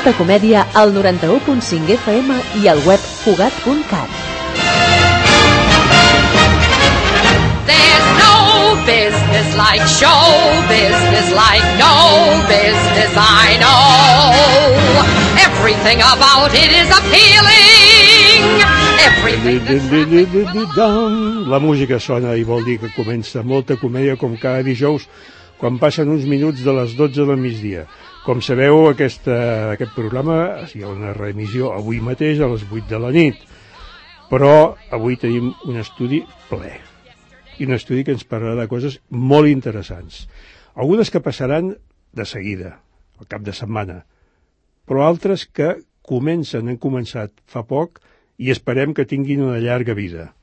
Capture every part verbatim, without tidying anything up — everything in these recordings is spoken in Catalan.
Molta Comèdia al noranta-u punt cinc F M i al web cugat punt cat. There's no business like show business, like no business I know. Everything about it is appealing. La música sona i vol dir que comença Molta Comèdia com cada dijous quan passen uns minuts de les dotze del migdia. Com sabeu, aquesta, aquest programa hi ha una reemissió avui mateix a les vuit de la nit, però avui tenim un estudi ple i un estudi que ens parlarà de coses molt interessants, algunes que passaran de seguida, al cap de setmana, però altres que comencen, han començat fa poc i esperem que tinguin una llarga vida.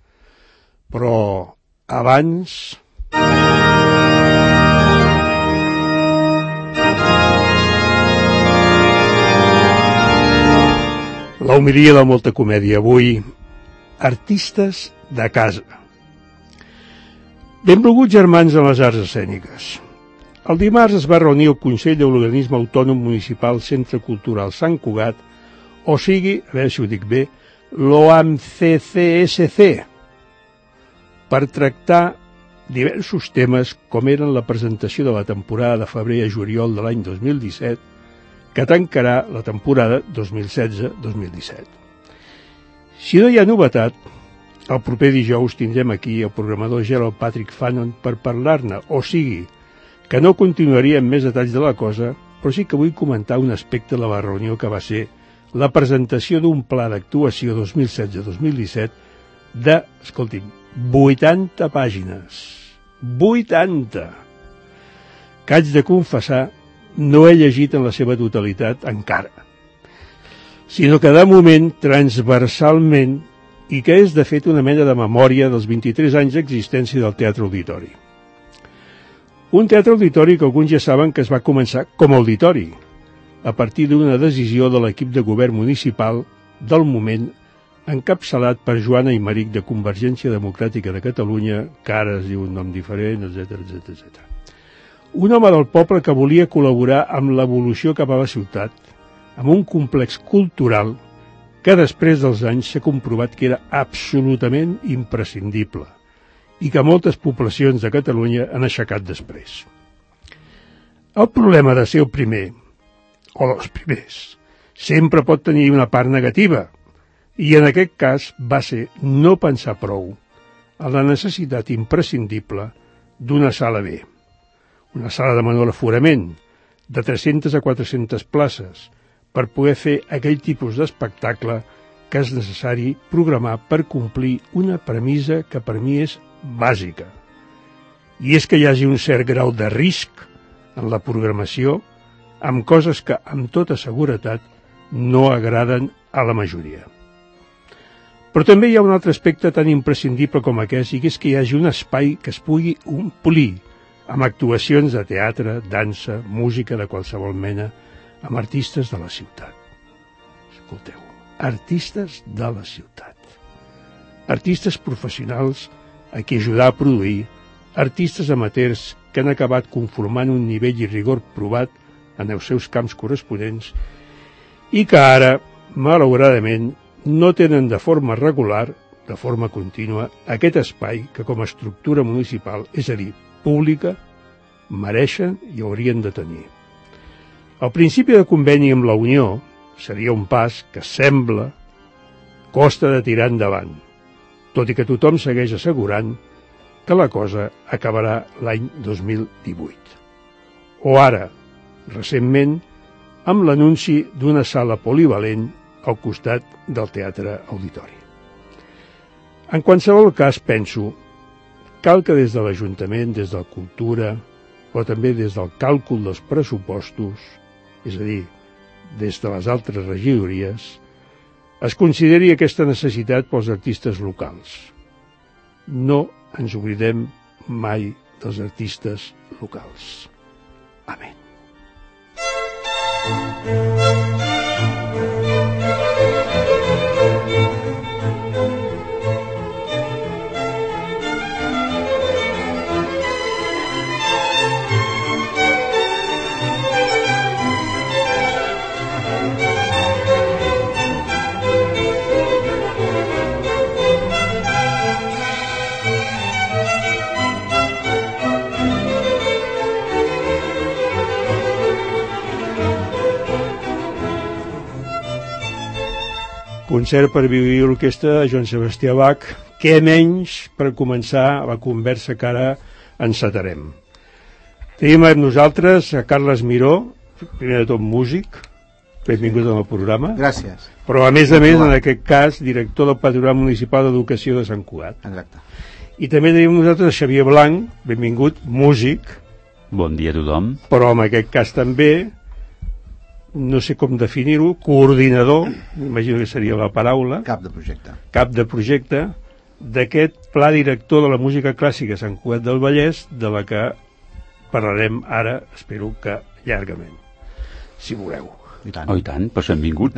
Però abans... La homilia de Molta Comèdia avui, artistes de casa. Benvolguts germans en les arts escèniques. El dimarts es va reunir el Consell de l'Organisme Autònom Municipal Centre Cultural Sant Cugat, o sigui, a veure si ho dic bé, l'O A M C C S C, per tractar diversos temes com eren la presentació de la temporada de febrer a juliol de l'any dos mil disset, que tancarà la temporada dos mil setze dos mil disset. Si no hi ha novetat, el proper dijous tindrem aquí el programador Gerald Patrick Fanon per parlar-ne, o sigui, que no continuaria amb més detalls de la cosa, però sí que vull comentar un aspecte de la reunió que va ser la presentació d'un pla d'actuació dos mil setze dos mil disset de, escolti'm, vuitanta pàgines. vuitanta! Que haig de confessar no he llegit en la seva totalitat encara, sinó que de moment, transversalment, i que és de fet una mena de memòria dels vint-i-tres anys d'existència del Teatre Auditori. Un teatre auditori que alguns ja saben que es va començar com a auditori, a partir d'una decisió de l'equip de govern municipal del moment, encapçalat per Joana Aymeric de Convergència Democràtica de Catalunya, que ara es diu un nom diferent, etcètera, etcètera, etcètera. Un home del poble que volia col·laborar amb l'evolució cap a la ciutat, amb un complex cultural que després dels anys s'ha comprovat que era absolutament imprescindible i que moltes poblacions de Catalunya han aixecat després. El problema de ser el primer, o dels primers, sempre pot tenir una part negativa, i en aquest cas va ser no pensar prou en la necessitat imprescindible d'una sala B. Una sala de menor aforament, de tres-centes a quatre-centes places, per poder fer aquell tipus d'espectacle que és necessari programar per complir una premissa que per mi és bàsica. I és que hi hagi un cert grau de risc en la programació amb coses que, amb tota seguretat, no agraden a la majoria. Però també hi ha un altre aspecte tan imprescindible com aquest, i que és que hi hagi un espai que es pugui omplir amb actuacions de teatre, dansa, música de qualsevol mena, amb artistes de la ciutat. Escolteu, artistes de la ciutat. Artistes professionals a qui ajudar a produir, artistes amateurs que han acabat conformant un nivell i rigor provat en els seus camps corresponents i que ara, malauradament, no tenen de forma regular, de forma contínua, aquest espai que com a estructura municipal, és a dir, pública, mereixen i haurien de tenir. El principi de conveni amb la Unió seria un pas que sembla costa de tirar endavant, tot i que tothom segueix assegurant que la cosa acabarà l'any dos mil divuit. O ara, recentment, amb l'anunci d'una sala polivalent al costat del Teatre Auditori. En qualsevol cas, penso, cal que des de l'Ajuntament, des de la Cultura, però també des del càlcul dels pressupostos, és a dir, des de les altres regidories, es consideri aquesta necessitat pels artistes locals. No ens oblidem mai dels artistes locals. Amén. concert per violí i orquestra de Joan Sebastià Bach, què menys per començar la conversa que ara encetarem. Tenim amb nosaltres a Carles Miró, primer de tot músic, benvingut al programa. Gràcies. Però a més a més, en aquest cas, director del Patronat Municipal d'Educació de Sant Cugat. Exacte. I també tenim amb nosaltres Xavier Blanc, benvingut, músic. Bon dia a tothom. Però en aquest cas també, no sé com definir-ho, coordinador, imagino que seria la paraula. Cap de projecte. Cap de projecte d'aquest pla director de la música clàssica a Sant Cugat del Vallès, de la que parlarem ara, espero que llargament, si voleu. I tant. Oh, i tant, però benvingut.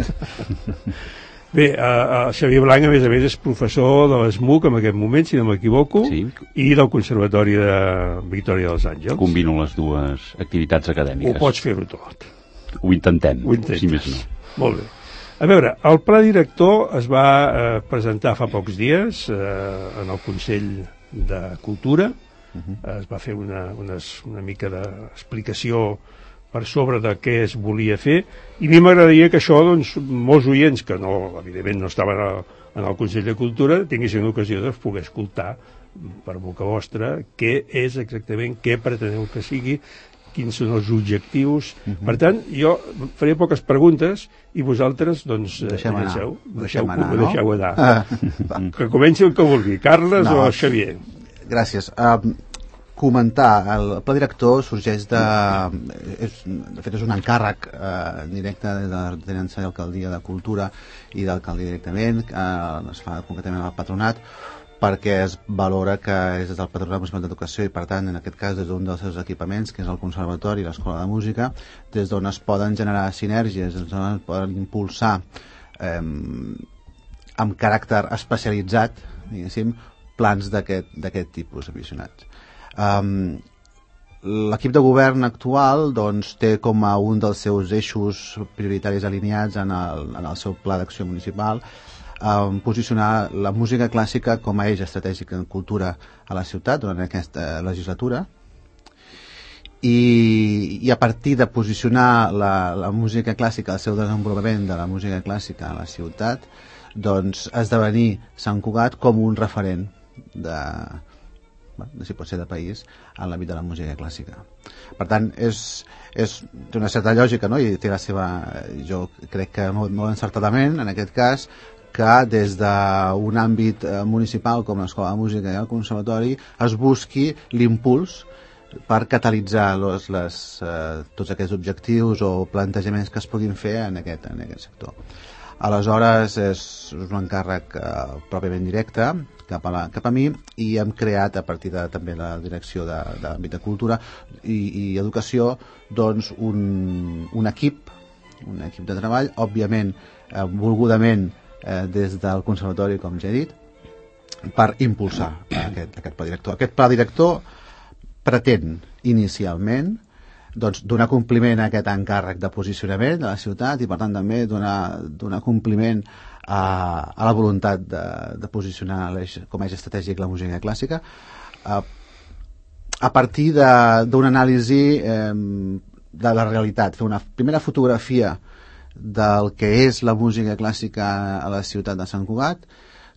Bé, uh, Xavier Blanc, a més a més, és professor de l'E S M U C en aquest moment, si no m'equivoco, sí. I del Conservatori de Victòria dels Àngels. Combino les dues activitats acadèmiques. Ho pots fer-ho tot. Ho intentem, Ho intentes. si més no. Molt bé. A veure, el pla director es va eh, presentar fa pocs dies eh, en el Consell de Cultura. Uh-huh. Es va fer una, una, una mica d'explicació per sobre de què es volia fer, i a mi m'agradaria que això, doncs, molts oients que no, evidentment no estaven a, en el Consell de Cultura tinguessin l'ocasió de poder escoltar per boca vostra què és exactament, què preteneu que sigui, quins són els objectius. Uh-huh. Per tant, jo faré poques preguntes i vosaltres, doncs, deixem anar. deixeu, Deixem deixeu, anar, no? deixeu anar. Ah. Que comenci el que vulgui, Carles No. o Xavier. Gràcies. Um, comentar, el pla director sorgeix de... És, de fet, és un encàrrec eh, directe de la Tinença i Alcaldia de Cultura i d'Alcaldia directament, eh, es fa concretament al Patronat, perquè es valora que és des del Patronat Municipal d'Educació i, per tant, en aquest cas, des d'un dels seus equipaments, que és el Conservatori i l'Escola de Música, des d'on es poden generar sinergies, des d'on es poden impulsar eh, amb caràcter especialitzat, diguéssim, plans d'aquest tipus aficionats. Um, l'equip de govern actual, doncs, té com a un dels seus eixos prioritaris alineats en el, en el seu pla d'acció municipal um, posicionar la música clàssica com a eix estratègic en cultura a la ciutat durant aquesta legislatura, i, i a partir de posicionar la, la música clàssica, el seu desenvolupament de la música clàssica a la ciutat, doncs esdevenir Sant Cugat com un referent de, de si pot ser de país en l'àmbit de la música clàssica. Per tant, és, és té una certa lògica, no? I té la seva, jo crec que molt, molt encertadament, en aquest cas, que des d'un àmbit municipal com l'Escola de Música i el Conservatori es busqui l'impuls per catalitzar les, les, eh, tots aquests objectius o plantejaments que es puguin fer en aquest, en aquest sector. Aleshores, és un encàrrec eh, pròpiament directe cap a, la, cap a mi, i hem creat a partir de també la direcció de, de l'àmbit de cultura i, i educació, doncs un, un equip un equip de treball, òbviament eh, volgudament eh, des del conservatori, com ja he dit, per impulsar aquest, aquest pla director. Aquest pla director pretén inicialment doncs, donar compliment a aquest encàrrec de posicionament de la ciutat i, per tant, també donar, donar compliment a, a la voluntat de, de posicionar com a eix estratègic la música clàssica a, a partir d'una anàlisi eh, de la realitat, fer una primera fotografia del que és la música clàssica a la ciutat de Sant Cugat,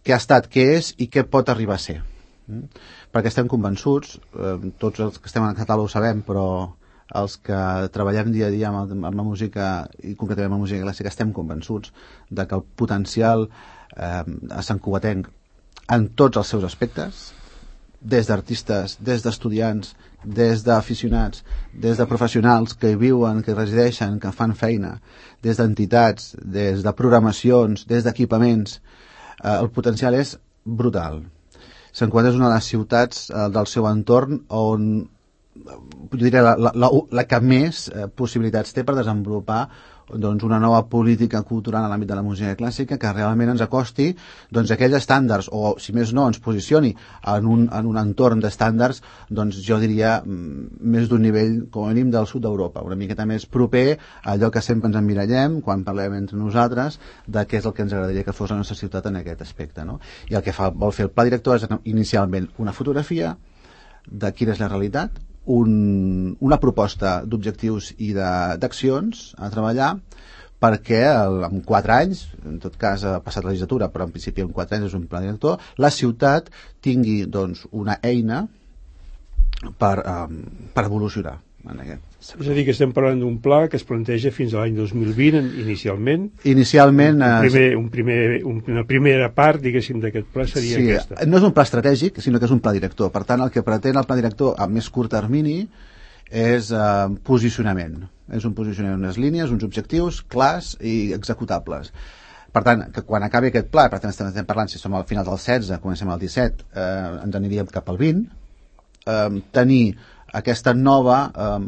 què ha estat, què és i què pot arribar a ser. Mm? Perquè estem convençuts, eh, tots els que estem en català ho sabem, però els que treballem dia a dia amb, el, amb la música i concretament amb la música clàssica estem convençuts de que el potencial eh, a Sant Cugatenc en tots els seus aspectes, des d'artistes, des d'estudiants, des d'aficionats, des de professionals que hi viuen, que hi resideixen, que fan feina, des d'entitats, des de programacions, des d'equipaments, eh, el potencial és brutal. Sant Cugat és una de les ciutats eh, del seu entorn on jo diria la, la, la, la que més eh, possibilitats té per desenvolupar doncs, una nova política cultural en l'àmbit de la música clàssica que realment ens acosti doncs, aquells estàndards, o si més no ens posicioni en un, en un entorn d'estàndards, doncs jo diria més d'un nivell com a mínim del sud d'Europa, una miqueta més proper a allò que sempre ens emmirallem quan parlem entre nosaltres de què és el que ens agradaria que fos la nostra ciutat en aquest aspecte, no? I el que fa, vol fer el pla director és inicialment una fotografia de quina és la realitat, Un, una proposta d'objectius i d'accions a treballar perquè el, en quatre anys, en tot cas ha passat la legislatura, però en principi en quatre anys és un pla director, la ciutat tingui doncs, una eina per, um, per evolucionar en aquest sector. És a dir, que estem parlant d'un pla que es planteja fins a l'any dos mil vint inicialment. Inicialment... Un primer, un primer, un, una primera part, diguéssim, d'aquest pla seria sí, aquesta. No és un pla estratègic, sinó que és un pla director. Per tant, el que pretén el pla director a més curt termini és uh, posicionament. És un posicionament, unes línies, uns objectius clars i executables. Per tant, que quan acabi aquest pla, per tant estem parlant, si som al final del setze, comencem al disset, eh, ens aniríem cap al vint, eh, tenir aquesta nova eh,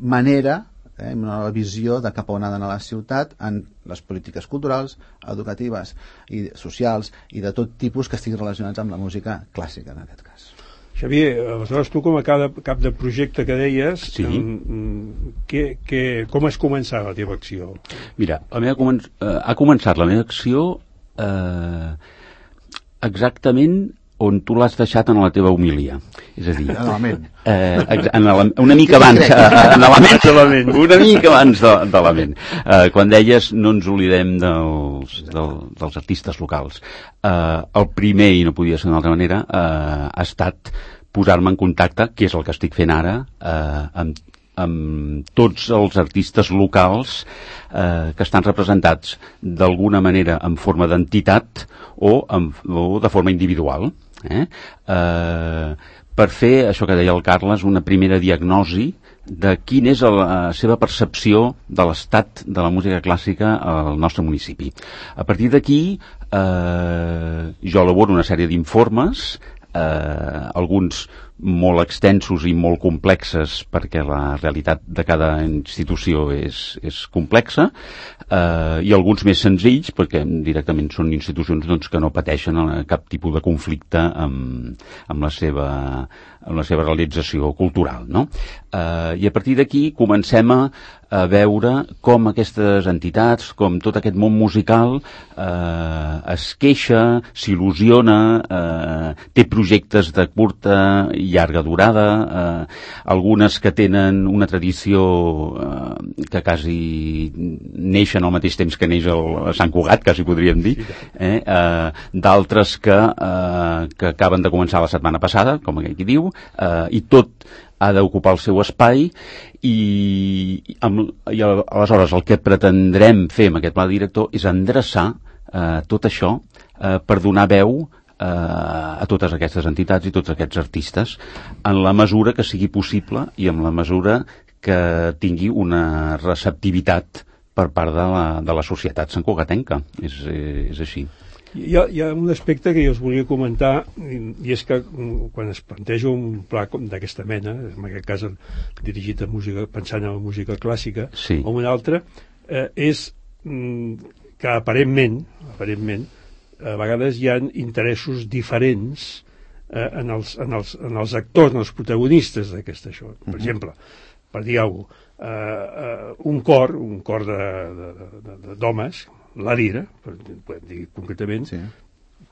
manera, eh, una nova visió de cap a on ha d'anar la ciutat en les polítiques culturals, educatives i socials i de tot tipus que estiguin relacionats amb la música clàssica, en aquest cas. Xavier, aleshores tu com a cap, cap de projecte que deies, sí. um, que, que, com has començat la teva acció? Mira, la meva comen eh, ha començat la meva acció eh, exactament on tu l'has deixat en la teva homilia. És a dir, eh, en la, una mica abans, eh, en l'element, una mica abans de, de l'element. Eh, quan deies no ens oblidem dels, del, dels artistes locals. Eh, el primer, i no podia ser d'una altra manera, eh, ha estat posar-me en contacte, que és el que estic fent ara, eh, amb amb tots els artistes locals eh, que estan representats d'alguna manera en forma d'entitat o, en, o de forma individual. Eh? Eh, per fer, això que deia el Carles, una primera diagnosi de quina és la seva percepció de l'estat de la música clàssica al nostre municipi. A partir d'aquí, eh, jo elaboro una sèrie d'informes, eh, alguns molt extensos i molt complexes perquè la realitat de cada institució és, és complexa, eh, i alguns més senzills perquè directament són institucions doncs, que no pateixen cap tipus de conflicte amb, amb, la, seva, amb la seva realització cultural, no? Eh, i a partir d'aquí comencem a, a veure com aquestes entitats, com tot aquest món musical eh, es queixa, s'il·lusiona, eh, té projectes de curta i llarga durada, eh, algunes que tenen una tradició eh, que quasi neixen al mateix temps que neix el Sant Cugat, quasi podríem dir, eh, eh, d'altres que, eh, que acaben de començar la setmana passada, com aquell qui diu, eh, i tot ha d'ocupar el seu espai i, amb, i aleshores el que pretendrem fer amb aquest pla director és endreçar eh, tot això eh, per donar veu eh, a totes aquestes entitats i tots aquests artistes en la mesura que sigui possible i en la mesura que tingui una receptivitat per part de la, de la societat santcugatenca. És, és així. Hi ha, hi ha un aspecte que jo us volia comentar, i, i és que quan es planteja un pla d'aquesta mena, en aquest cas dirigit a música, pensant en la música clàssica, sí. o un altre, eh, és mm, que aparentment, aparentment, a vegades hi ha interessos diferents eh, en, els, en, els, en els actors, en els protagonistes d'aquesta això. Per uh-huh. exemple, per dir alguna cosa, eh, eh, un cor, un cor d'homes, la lira, podem dir concretament, sí.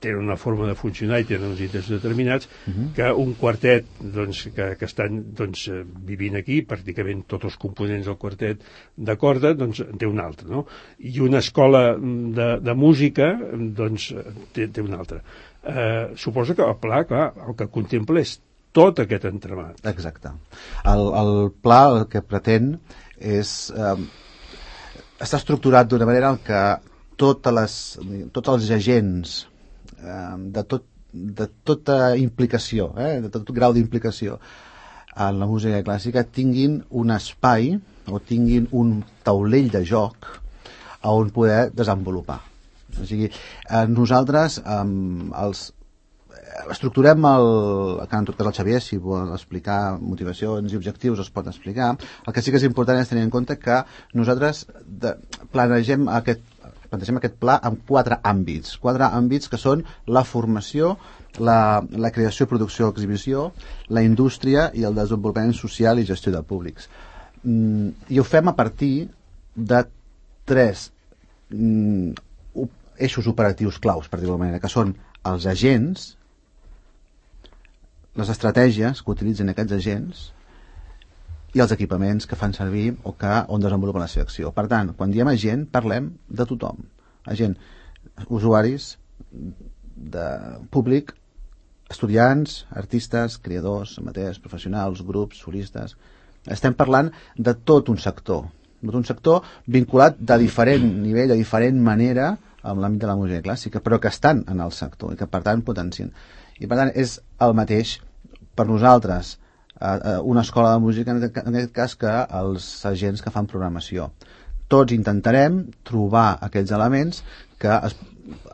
tenen una forma de funcionar i tenen uns interessos determinats, uh-huh. que un quartet doncs, que, que estan doncs, vivint aquí, pràcticament tots els components del quartet de corda, doncs en té un altre, no? I una escola de, de música doncs, té, té una altra. Eh, suposo que el pla, clar, el que contempla és tot aquest entramat. Exacte. El, el pla el que pretén és... Eh, està estructurat d'una manera en què totes les, tots els agents eh, de, tot, de tota implicació, eh, de tot grau d'implicació en la música clàssica tinguin un espai o tinguin un taulell de joc on poder desenvolupar. O sigui, eh, nosaltres eh, els estructurem el, que en tot cas el Xavier, si vol explicar motivacions i objectius es pot explicar. El que sí que és important és tenir en compte que nosaltres de, planegem aquest plantegem aquest pla en quatre àmbits, quatre àmbits que són la formació, la, la creació, producció, exhibició, la indústria i el desenvolupament social i gestió de públics. Mm, I ho fem a partir de tres mm, eixos operatius claus, per dir-ho d'alguna manera, que són els agents, les estratègies que utilitzen aquests agents i els equipaments que fan servir o que on desenvolupen la seva acció. Per tant, quan diem agent, parlem de tothom. Agent, usuaris, de públic, estudiants, artistes, creadors, amateurs, professionals, grups, solistes. Estem parlant de tot un sector, de tot un sector vinculat de diferent nivell, de diferent manera amb l'àmbit de la música clàssica, però que estan en el sector i que per tant potencien. I per tant és el mateix per nosaltres una escola de música, en aquest cas, que els agents que fan programació. Tots intentarem trobar aquells elements que es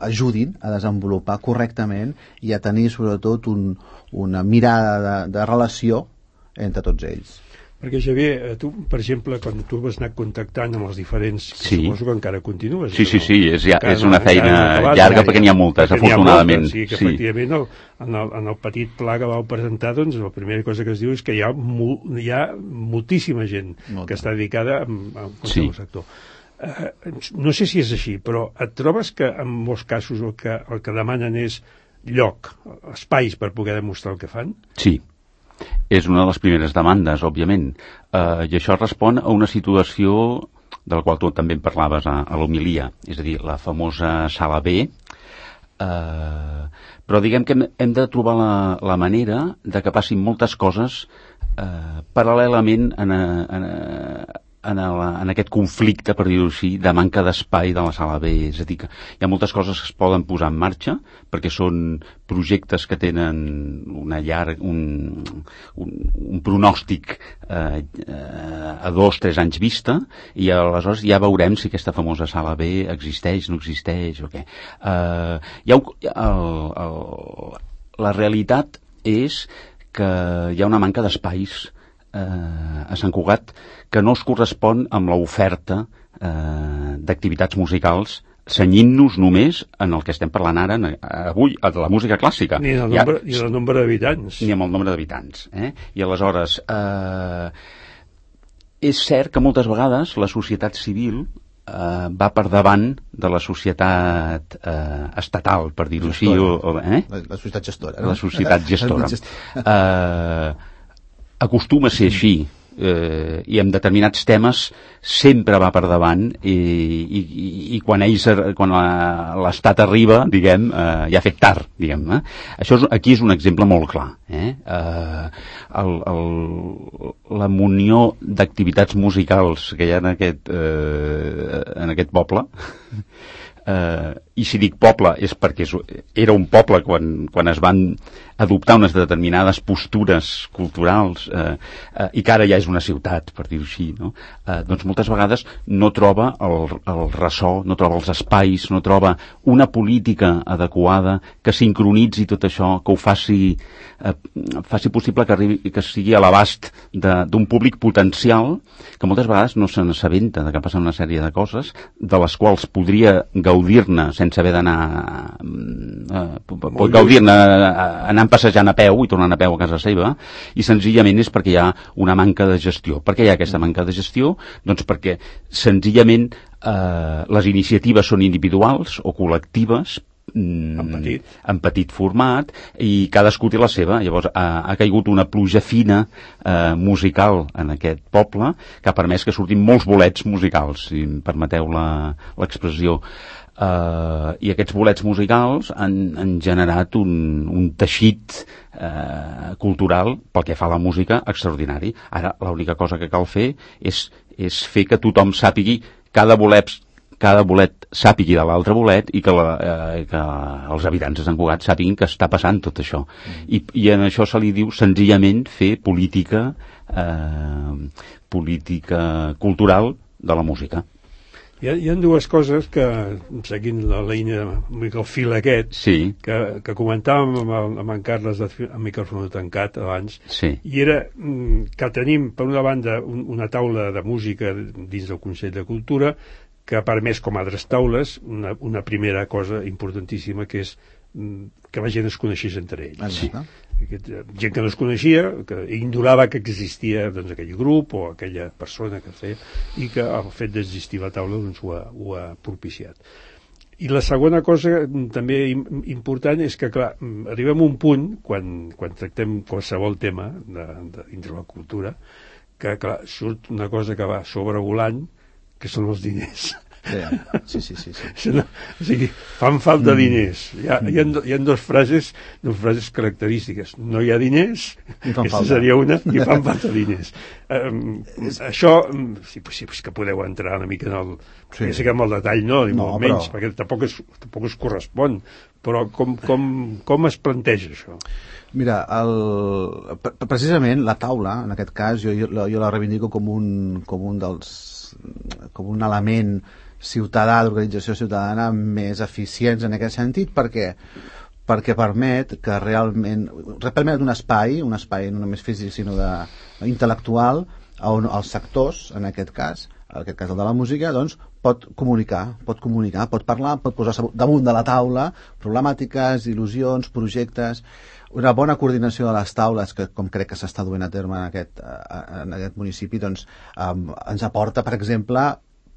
ajudin a desenvolupar correctament i a tenir sobretot un, una mirada de, de relació entre tots ells. Perquè, Xavier, tu, per exemple, quan tu vas anar contactant amb els diferents, sí. Suposo que encara continues. Sí, sí, no? sí, és, ja, és una no, feina acabat, llarga ja, perquè n'hi ha moltes, afortunadament. Sí, que sí. Efectivament, el, en, el, en el petit pla que vau presentar, doncs, la primera cosa que es diu és que hi ha, mu, hi ha moltíssima gent Molta. que està dedicada a, a sí. al sector. Uh, no sé si és així, però et trobes que en molts casos el que, el que demanen és lloc, espais per poder demostrar el que fan? Sí. És una de les primeres demandes, òbviament. Uh, I això respon a una situació de la qual tu també en parlaves a, a l'homilia, és a dir, la famosa sala B. Uh, però diguem que hem, hem de trobar la, la manera de que passin moltes coses uh, paral·lelament en, a, en, a, en, el, en aquest conflicte, per dir-ho així, de manca d'espai de la sala B. És a dir, que hi ha moltes coses que es poden posar en marxa perquè són projectes que tenen una llarg, un, un, un pronòstic eh, eh, a dos, tres anys vista, i aleshores ja veurem si aquesta famosa sala B existeix, no existeix o què. Eh, hi ha, el, el, la realitat és que hi ha una manca d'espais eh, a Sant Cugat que no es correspon amb l'oferta eh, d'activitats musicals, senyint-nos només en el que estem parlant ara, avui, de la música clàssica. Ni en el nombre, ja, ni en el nombre d'habitants. Ni amb el nombre d'habitants. Eh? I aleshores, eh, és cert que moltes vegades la societat civil eh, va per davant de la societat eh, estatal, per dir-ho així. O, o, eh? la, la societat gestora. No? La societat gestora. eh, acostuma a ser així. Eh, i en determinats temes sempre va per davant i, i, i quan ells, quan l'estat arriba, diguem, eh, ja ha fet tard, diguem, eh? Això és, aquí és un exemple molt clar, eh? Eh, el, el, la munió d'activitats musicals que hi ha en aquest, eh, en aquest poble, eh, i si dic poble és perquè és, era un poble quan, quan es van adoptar unes determinades postures culturals eh, eh, i que ara ja és una ciutat, per dir-ho així, no? Eh, doncs moltes vegades no troba el, el ressò, no troba els espais, no troba una política adequada que sincronitzi tot això, que ho faci, eh, faci possible que, arribi, que sigui a l'abast d'un públic potencial que moltes vegades no se n'assabenta de que passen una sèrie de coses de les quals podria gaudir-ne sense haver d'anar eh, pot gaudir-ne anant passejant a peu i tornant a peu a casa seva, i senzillament és perquè hi ha una manca de gestió. Per què hi ha aquesta manca de gestió? Doncs perquè senzillament eh, les iniciatives són individuals o col·lectives en petit. en petit format i cadascú té la seva. Llavors ha, ha caigut una pluja fina eh, musical en aquest poble que ha permès que surtin molts bolets musicals, si em permeteu l'expressió. Uh, i aquests bolets musicals han, han generat un, un teixit uh, cultural pel que fa a la música extraordinari. Ara l'única cosa que cal fer és, és fer que tothom sàpigui, cada bolet, cada bolet sàpigui de l'altre bolet i que, la, eh, que els habitants de Sant Cugat sàpiguin que està passant tot això. Mm. I, I en això se li diu senzillament fer política, eh, política cultural de la música. Hi ha, hi ha dues coses que, seguint la línia, el fil aquest, sí. que, que comentàvem amb, el, amb en Carles de, amb micròfon tancat abans, sí. i era que tenim, per una banda, un, una taula de música dins del Consell de Cultura que ha permès, com altres taules, una, una primera cosa importantíssima, que és que la gent es coneixés entre ells. Sí. Aquest, gent que no es coneixia, que ignorava que existia doncs, aquell grup o aquella persona que feia, i que el fet d'existir la taula doncs, ho, ha, ho ha propiciat. I la segona cosa també important és que, clar, arribem a un punt, quan, quan tractem qualsevol tema de, de, dintre la cultura, que clar, surt una cosa que va sobrevolant, que són els diners. Sí, sí, sí, sí. No, o sigui, fan falta diners. Hi ha, hi ha, hi ha dues frases, dues frases característiques. No hi ha diners, aquesta falta. Seria una, i fan falta diners. Um, això, sí, sí, sí que podeu entrar una mica en el... Sí. Ja sé que amb el detall no, ni no, molt menys, però... perquè tampoc es, tampoc es correspon. Però com, com, com es planteja això? Mira, el, precisament la taula, en aquest cas, jo, jo, jo la reivindico com un, com un dels... com un element ciutadà, d'organització ciutadana més eficients en aquest sentit, perquè perquè permet que realment permet un espai, un espai no només físic sinó de, intel·lectual, on els sectors, en aquest cas, en aquest cas el de la música, doncs pot comunicar, pot comunicar, pot parlar, pot posar damunt de la taula problemàtiques, il·lusions, projectes. Una bona coordinació de les taules, que com crec que s'està duent a terme en aquest, en aquest municipi, doncs um, ens aporta, per exemple,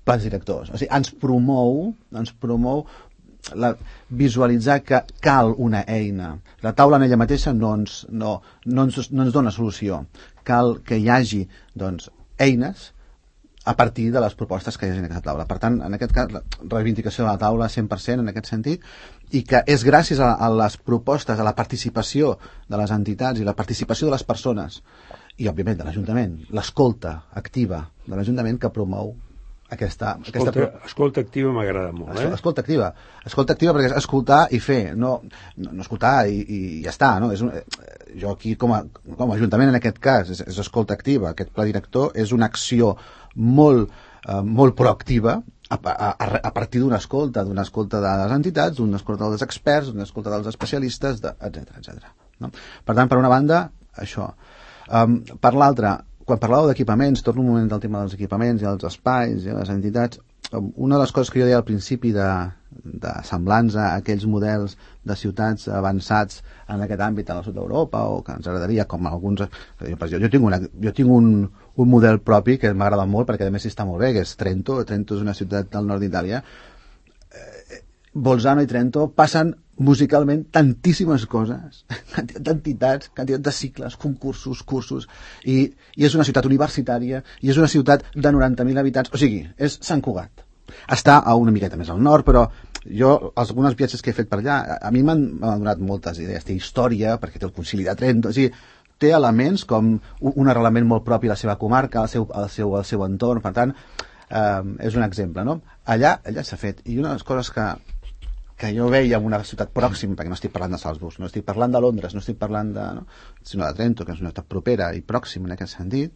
plans directors. O sigui, ens promou, ens promou la, visualitzar que cal una eina. La taula en ella mateixa no ens, no, no ens, no ens dona solució. Cal que hi hagi, doncs, eines a partir de les propostes que hi ha en aquesta taula. Per tant, en aquest cas, la reivindicació de la taula cent per cent en aquest sentit, i que és gràcies a, a les propostes, a la participació de les entitats i la participació de les persones, i òbviament de l'Ajuntament, l'escolta activa de l'Ajuntament que promou aquesta... Escolta, aquesta... escolta activa m'agrada molt, eh? Escolta activa. Escolta activa perquè és escoltar i fer, no, no, no escoltar i, i ja està, no? És un, jo aquí com a, com a Ajuntament en aquest cas és, és escolta activa. Aquest pla director és una acció molt, eh, molt proactiva a, a, a partir d'una escolta, d'una escolta de les entitats, d'una escolta dels experts, d'una escolta dels especialistes, etcètera, etcètera. No? Per tant, per una banda, això. Um, per l'altra, quan parlàveu d'equipaments, torno un moment del tema dels equipaments i els espais i les entitats, una de les coses que jo deia al principi de, de semblança a aquells models de ciutats avançats en aquest àmbit al sud d'Europa, o que ens agradaria com alguns... Jo, jo tinc, una, jo tinc un, un model propi que m'agrada molt perquè a més està molt bé, que és Trento. Trento és una ciutat del nord d'Itàlia. Bolzano i Trento passen musicalment tantíssimes coses, quantitat d'entitats, quantitat de cicles, concursos, cursos, i, i és una ciutat universitària, i és una ciutat de noranta mil habitants, o sigui, és Sant Cugat. Està a una miqueta més al nord, però jo, algunes viatges que he fet per allà, a mi m'han donat moltes idees. Té història, perquè té el concili de Trento, o sigui, té elements com un arrelament molt propi a la seva comarca, al seu, al seu, al seu entorn, per tant, eh, és un exemple, no? Allà, allà s'ha fet, i una de les coses que que jo veia en una ciutat pròxima, perquè no estic parlant de Salzburg, no estic parlant de Londres, no estic parlant de, no? sinó de Trento, que és una ciutat propera i pròxima en aquest sentit,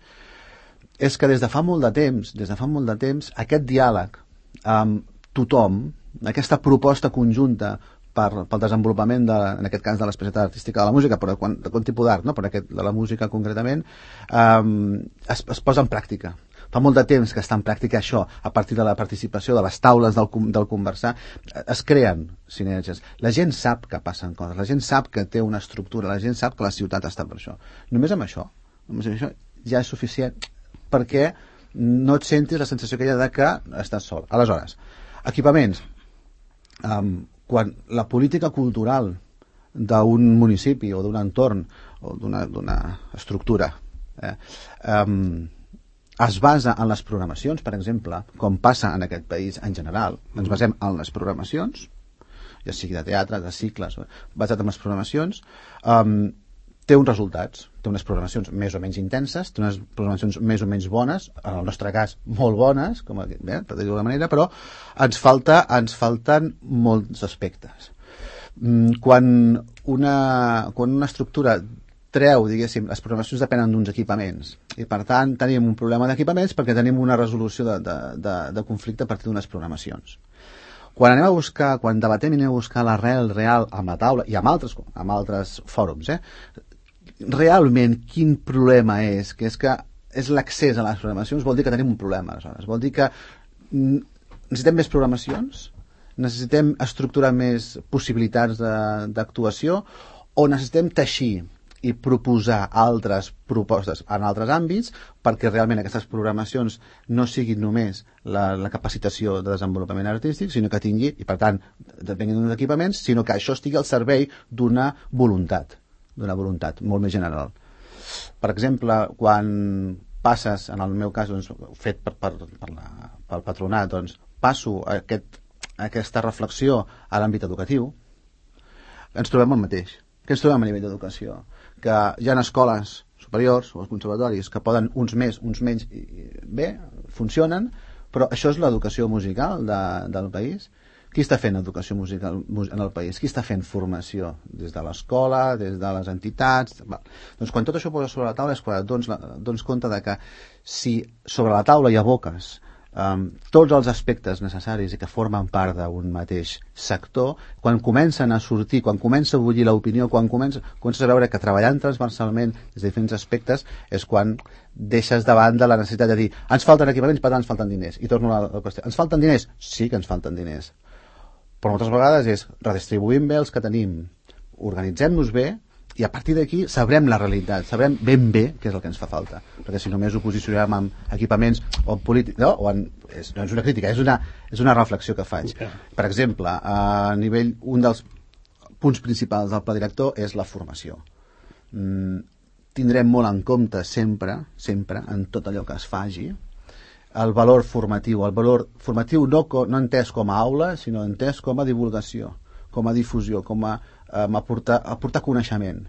és que des de fa molt de temps, des de fa molt de temps, aquest diàleg amb tothom, aquesta proposta conjunta per, pel desenvolupament, de, en aquest cas de l'especialitat artística de la música, però de quant, de quant tipus d'art, no? però aquest, de la música concretament, um, es, es posa en pràctica. Fa molt de temps que està en pràctica això, a partir de la participació de les taules del, del conversar, es creen sinergies. La gent sap que passen coses, la gent sap que té una estructura, la gent sap que la ciutat està per això. Només amb això, només amb això ja és suficient perquè no et sentis la sensació que hi ha de que estàs sol. Aleshores, equipaments. Um, quan la política cultural d'un municipi o d'un entorn o d'una estructura eh, um, es basa en les programacions, per exemple, com passa en aquest país en general. Ens basem en les programacions, ja sigui de teatre, de cicles, basat en les programacions, um, té uns resultats, té unes programacions més o menys intenses, té unes programacions més o menys bones, en el nostre cas molt bones, com a, bé, per dir-ho d'alguna manera, però ens, falta, ens falten molts aspectes. Quan una, quan una estructura treu, diguéssim, les programacions depenen d'uns equipaments i per tant tenim un problema d'equipaments perquè tenim una resolució de, de, de, de conflicte a partir d'unes programacions. Quan anem a buscar, quan debatem i anem a buscar l'arrel real amb la taula i amb altres, amb altres fòrums, eh, realment quin problema és? Que és que és l'accés a les programacions, vol dir que tenim un problema, aleshores. Vol dir que necessitem més programacions, necessitem estructurar més possibilitats d'actuació o necessitem teixir i proposar altres propostes en altres àmbits perquè realment aquestes programacions no siguin només la, la capacitació de desenvolupament artístic, sinó que tingui, i per tant, depenguin d'uns equipaments, sinó que això estigui al servei d'una voluntat, d'una voluntat molt més general. Per exemple, quan passes, en el meu cas, doncs, fet per, per, per la, pel patronat, doncs, passo aquest, aquesta reflexió a l'àmbit educatiu, ens trobem el mateix. Què ens trobem a nivell d'educació? Que hi ha escoles superiors o els conservatoris que poden uns més, uns menys, i, i bé, funcionen, però això és l'educació musical de, del país. Qui està fent educació musical en el país? Qui està fent formació? Des de l'escola, des de les entitats... Va. Doncs quan tot això posa sobre la taula és quan et dones, dones compte de que si sobre la taula hi aboques um, tots els aspectes necessaris i que formen part d'un mateix sector, quan comencen a sortir, quan comença a bullir l'opinió, quan comença, comences a veure que treballant transversalment des de diferents aspectes és quan deixes de banda la necessitat de dir ens falten equipaments, per tant ens falten diners. I torno a la qüestió. Ens falten diners? Sí que ens falten diners. Però moltes vegades és redistribuïm bé els que tenim, organitzem-nos bé i a partir d'aquí sabrem la realitat, sabrem ben bé què és el que ens fa falta, perquè si només ho posicionem amb equipaments o en política, no, o en, és, no és una crítica, és una, és una reflexió que faig. Per exemple, a nivell, un dels punts principals del pla director és la formació. Mm, tindrem molt en compte sempre, sempre, en tot allò que es faci, el valor formatiu, el valor formatiu no, no entès com a aula, sinó entès com a divulgació, com a difusió, com a um, aportar, aportar coneixement.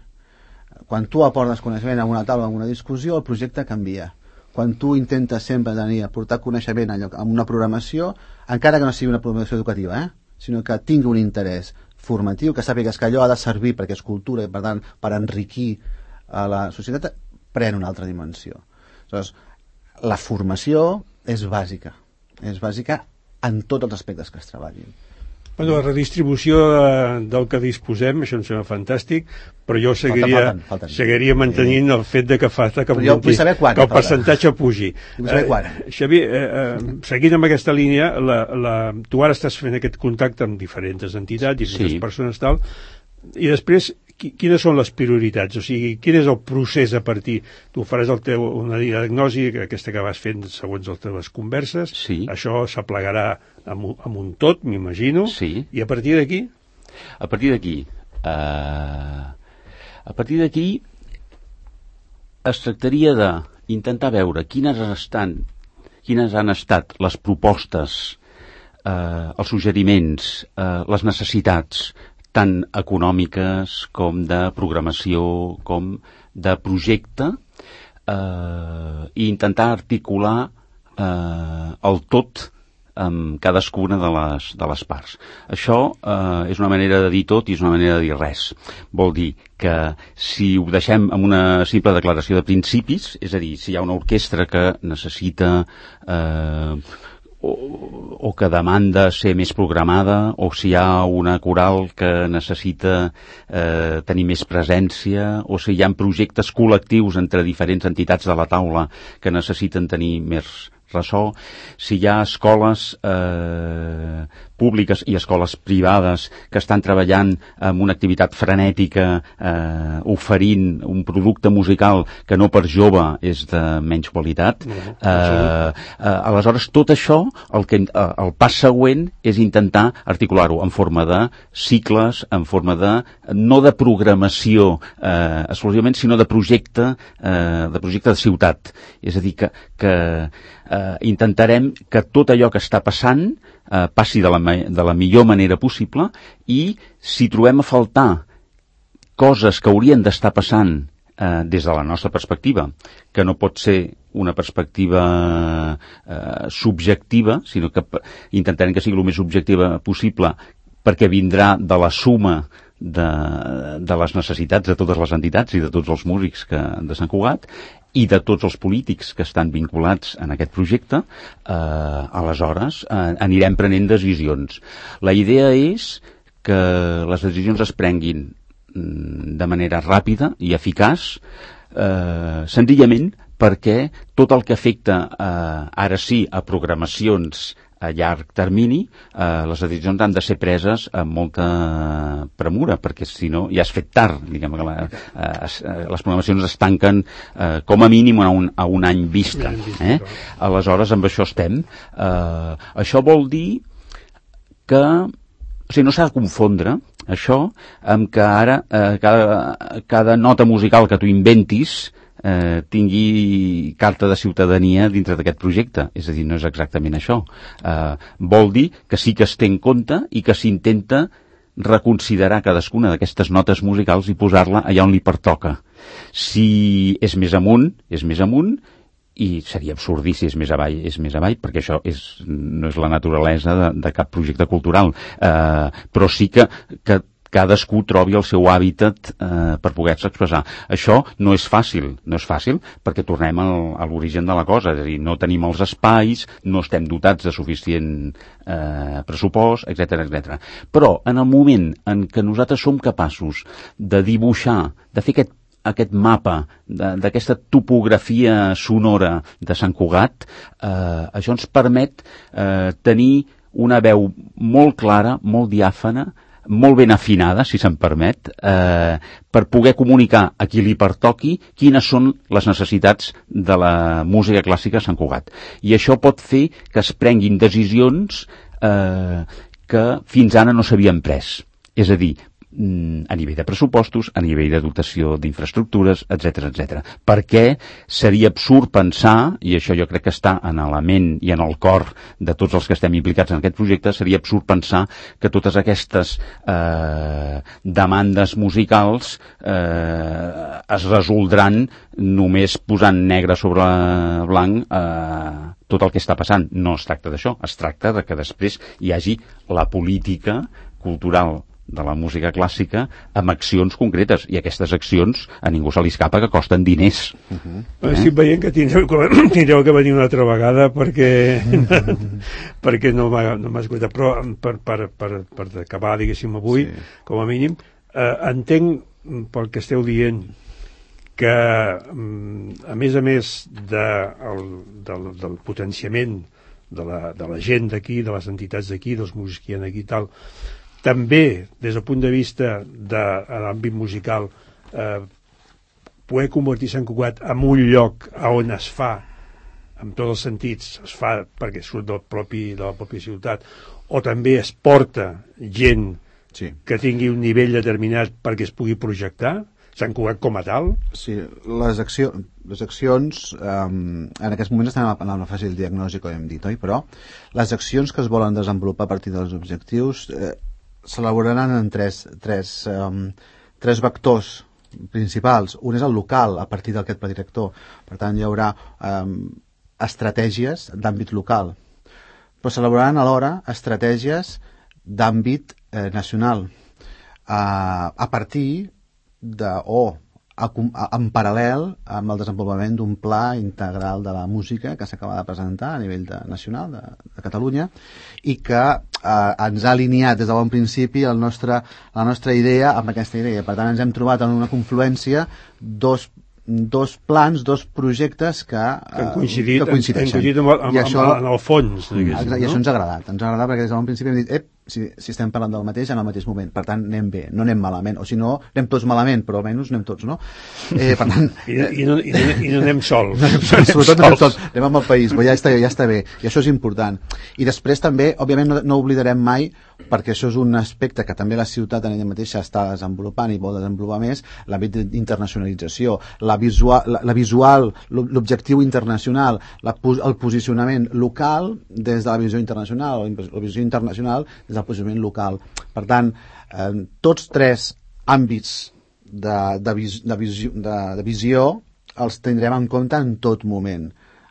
Quan tu aportes coneixement en una taula, en una discussió, el projecte canvia. Quan tu intentes sempre tenir, aportar coneixement en, en una programació, encara que no sigui una programació educativa, eh? sinó que tingui un interès formatiu, que sàpigues que allò ha de servir perquè és cultura i per tant per enriquir a la societat, pren una altra dimensió. Aleshores, la formació és bàsica, és bàsica en tots els aspectes que es treballin. Bueno, la redistribució de, del que disposem, això em sembla fantàstic, però jo seguiria, falten, falten, falten. seguiria mantenint el fet de que falta que, augmenti, quan, que el percentatge pugi. Eh, Xavier, eh, eh, seguint amb aquesta línia, la, la, tu ara estàs fent aquest contacte amb diferents entitats i diferents sí. persones tal, i després quines són les prioritats? O sigui, quin és el procés a partir? Tu faràs el teu, una diagnosi, aquesta que vas fent segons les teves converses, sí. això s'aplegarà amb, amb un tot, m'imagino, sí. i a partir d'aquí? A partir d'aquí, uh, a partir d'aquí es tractaria d'intentar veure quines estan, quines han estat les propostes, uh, els suggeriments, uh, les necessitats, tant econòmiques com de programació com de projecte eh, i intentar articular eh, el tot amb cadascuna de les, de les parts. Això eh, és una manera de dir tot i és una manera de dir res. Vol dir que si ho deixem amb una simple declaració de principis, és a dir, si hi ha una orquestra que necessita eh, O, o que demanda ser més programada, o si hi ha una coral que necessita eh, tenir més presència, o si hi ha projectes col·lectius entre diferents entitats de la taula que necessiten tenir més ressò, si hi ha escoles eh, públiques i escoles privades que estan treballant amb una activitat frenètica eh, oferint un producte musical que no per jove és de menys qualitat, eh, eh, aleshores tot això el, que, eh, el pas següent és intentar articular-ho en forma de cicles, en forma de no de programació eh, exclusivament, sinó de projecte eh, de projecte de ciutat, és a dir que, que eh, intentarem que tot allò que està passant eh, passi de la, de la millor manera possible, i si trobem a faltar coses que haurien d'estar passant eh, des de la nostra perspectiva, que no pot ser una perspectiva eh, subjectiva, sinó que intentarem que sigui el més objectiva possible, perquè vindrà de la suma de, de les necessitats de totes les entitats i de tots els músics que, de Sant Cugat, i de tots els polítics que estan vinculats en aquest projecte, eh, aleshores eh, anirem prenent decisions. La idea és que les decisions es prenguin de manera ràpida i eficaç, eh, senzillament perquè tot el que afecta eh, ara sí a programacions a llarg termini, eh, les decisions han de ser preses amb molta premura, perquè si no ja has fet tard, diguem que la, eh, les programacions es tanquen eh, com a mínim a un, a un any vista. Eh? Aleshores, amb això estem. Eh, això vol dir que o sigui, no s'ha de confondre això amb que ara eh, cada, cada nota musical que tu inventis eh, tingui carta de ciutadania dintre d'aquest projecte. És a dir, no és exactament això. Eh, vol dir que sí que es té en compte i que s'intenta reconsiderar cadascuna d'aquestes notes musicals i posar-la allà on li pertoca. Si és més amunt, és més amunt, i seria absurd dir si és més avall, és més avall, perquè això és, no és la naturalesa de, de cap projecte cultural. Eh, però sí que, que cadascú trobi el seu hàbitat eh, per poder-se expressar. Això no és fàcil, no és fàcil perquè tornem al, a l'origen de la cosa, és a dir, no tenim els espais, no estem dotats de suficient eh, pressupost, etcètera, etcètera. Però en el moment en què nosaltres som capaços de dibuixar, de fer aquest aquest mapa d'aquesta topografia sonora de Sant Cugat, eh, això ens permet eh, tenir una veu molt clara, molt diàfana, molt ben afinada, si se'n permet, eh, per poder comunicar a qui li pertoqui quines són les necessitats de la música clàssica a Sant Cugat. I això pot fer que es prenguin decisions eh, que fins ara no s'havien pres. És a dir, a nivell de pressupostos, a nivell de dotació d'infraestructures, etcètera, etcètera. Perquè seria absurd pensar, i això jo crec que està en la ment i en el cor de tots els que estem implicats en aquest projecte, seria absurd pensar que totes aquestes eh, demandes musicals eh, es resoldran només posant negre sobre blanc eh, tot el que està passant. No es tracta d'això, es tracta de que després hi hagi la política cultural de la música clàssica amb accions concretes, i aquestes accions a ningú se li escapa que costen diners. Uh-huh. eh? Estic veient que tindreu, tindreu que venir una altra vegada perquè perquè no m'ha no escoltat, però per, per, per, per acabar, diguéssim, avui, sí. Com a mínim, eh, entenc pel que esteu dient que a més a més de, el, del, del potenciament de la, de la gent d'aquí, de les entitats d'aquí, dels músics que hi ha aquí i tal, també, des del punt de vista de l'àmbit musical, eh, poder convertir Sant Cugat en un lloc on es fa, en tots els sentits, es fa perquè surt del propi, de la pròpia ciutat, o també es porta gent sí. que tingui un nivell determinat perquè es pugui projectar, Sant Cugat com a tal? Sí, les, acció, les accions, um, en aquests moments estan en una fase de diagnosi, com hem dit, oi? Però les accions que es volen desenvolupar a partir dels objectius eh, s'elaboraran en tres, tres, um, tres vectors principals. Un és el local, a partir d'aquest pla director. Per tant, hi haurà um, estratègies d'àmbit local. Però s'elaboraran alhora estratègies d'àmbit eh, nacional. Uh, a partir de, o a, a, en paral·lel amb el desenvolupament d'un pla integral de la música que s'acaba de presentar a nivell de, nacional de, de Catalunya i que eh, ens ha alineat des de bon principi el nostre, la nostra idea amb aquesta idea. Per tant, ens hem trobat en una confluència dos dos plans, dos projectes que, que han coincidit, que coincideixen. Han coincidit amb, amb, I això, amb, en el fons. I no? això ens ha agradat. Ens ha agradat perquè des de bon principi hem dit, ep, si, si estem parlant del mateix en el mateix moment, per tant anem bé, no anem malament, o si no anem tots malament, però almenys anem tots, no? Eh, per tant, I, i, no, i, no, i no anem sols, no anem sols sobretot no anem sols, anem amb el país, però ja està, ja està bé, i això és important. I després també, òbviament no, no oblidarem mai, perquè això és un aspecte que també la ciutat en ella mateixa està desenvolupant i vol desenvolupar més, l'àmbit d'internacionalització, la visual, la, la visual, l'objectiu internacional, la, el posicionament local des de la visió internacional, o la visió internacional des del posicionament local. Per tant, eh, tots tres àmbits de, de, vis, de, visió, de, de visió els tindrem en compte en tot moment.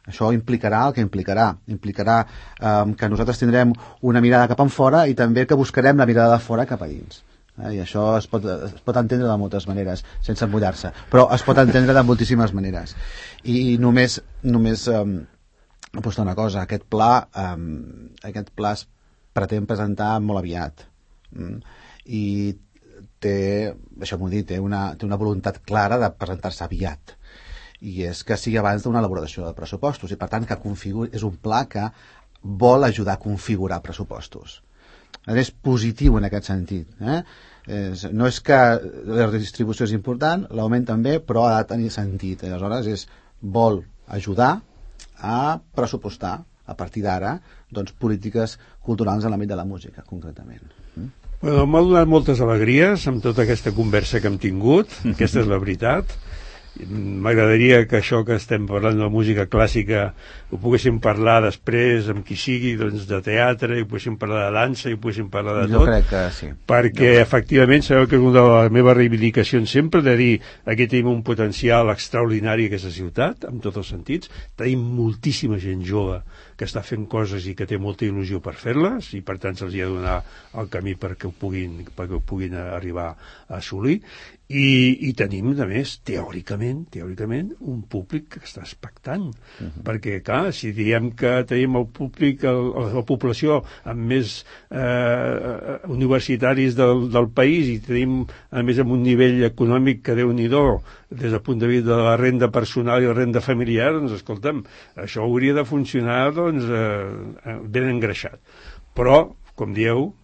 Això implicarà el que implicarà. Implicarà eh, que nosaltres tindrem una mirada cap enfora i també que buscarem la mirada de fora cap a dins. Eh, I això es pot, es pot entendre de moltes maneres, sense emmullar-se. Però es pot entendre de moltíssimes maneres. I només, només eh, apostar una cosa. Aquest pla, eh, aquest pla es pretén presentar molt aviat. Mm? I té, això m'ho dit, té una, té una voluntat clara de presentar-se aviat. I és que sigui abans d'una elaboració de pressupostos i per tant que configuri, és un pla que vol ajudar a configurar pressupostos. És positiu en aquest sentit. Eh? És, no és que la redistribució és important, l'augment també, però ha de tenir sentit. Aleshores és, vol ajudar a pressupostar a partir d'ara doncs, polítiques culturals en l'àmbit de la música, concretament. Mm? Bueno, m'ha donat moltes alegries amb tota aquesta conversa que hem tingut, aquesta és la veritat. m'agradaria que això que estem parlant de la música clàssica ho poguéssim parlar després amb qui sigui, doncs, de teatre, i ho poguéssim parlar de dansa, i ho poguéssim parlar de jo tot. Crec que sí. Perquè jo efectivament sabeu que és una de les meves reivindicacions sempre, de dir aquí tenim un potencial extraordinari a aquesta ciutat, en tots els sentits. Tenim moltíssima gent jove que està fent coses i que té molta il·lusió per fer-les, i per tant se'ls ha de donar el camí perquè ho puguin, perquè ho puguin arribar a assolir. I, i tenim, a més, teòricament, teòricament, un públic que està expectant. Uh-huh. Perquè, clar, si diem que tenim el públic, el, la població amb més eh, universitaris del, del país, i tenim, a més, amb un nivell econòmic que Déu-n'hi-do, des del punt de vista de la renda personal i la renda familiar, doncs, escolta'm, això hauria de funcionar, doncs, eh, ben engreixat. Però, com dieu,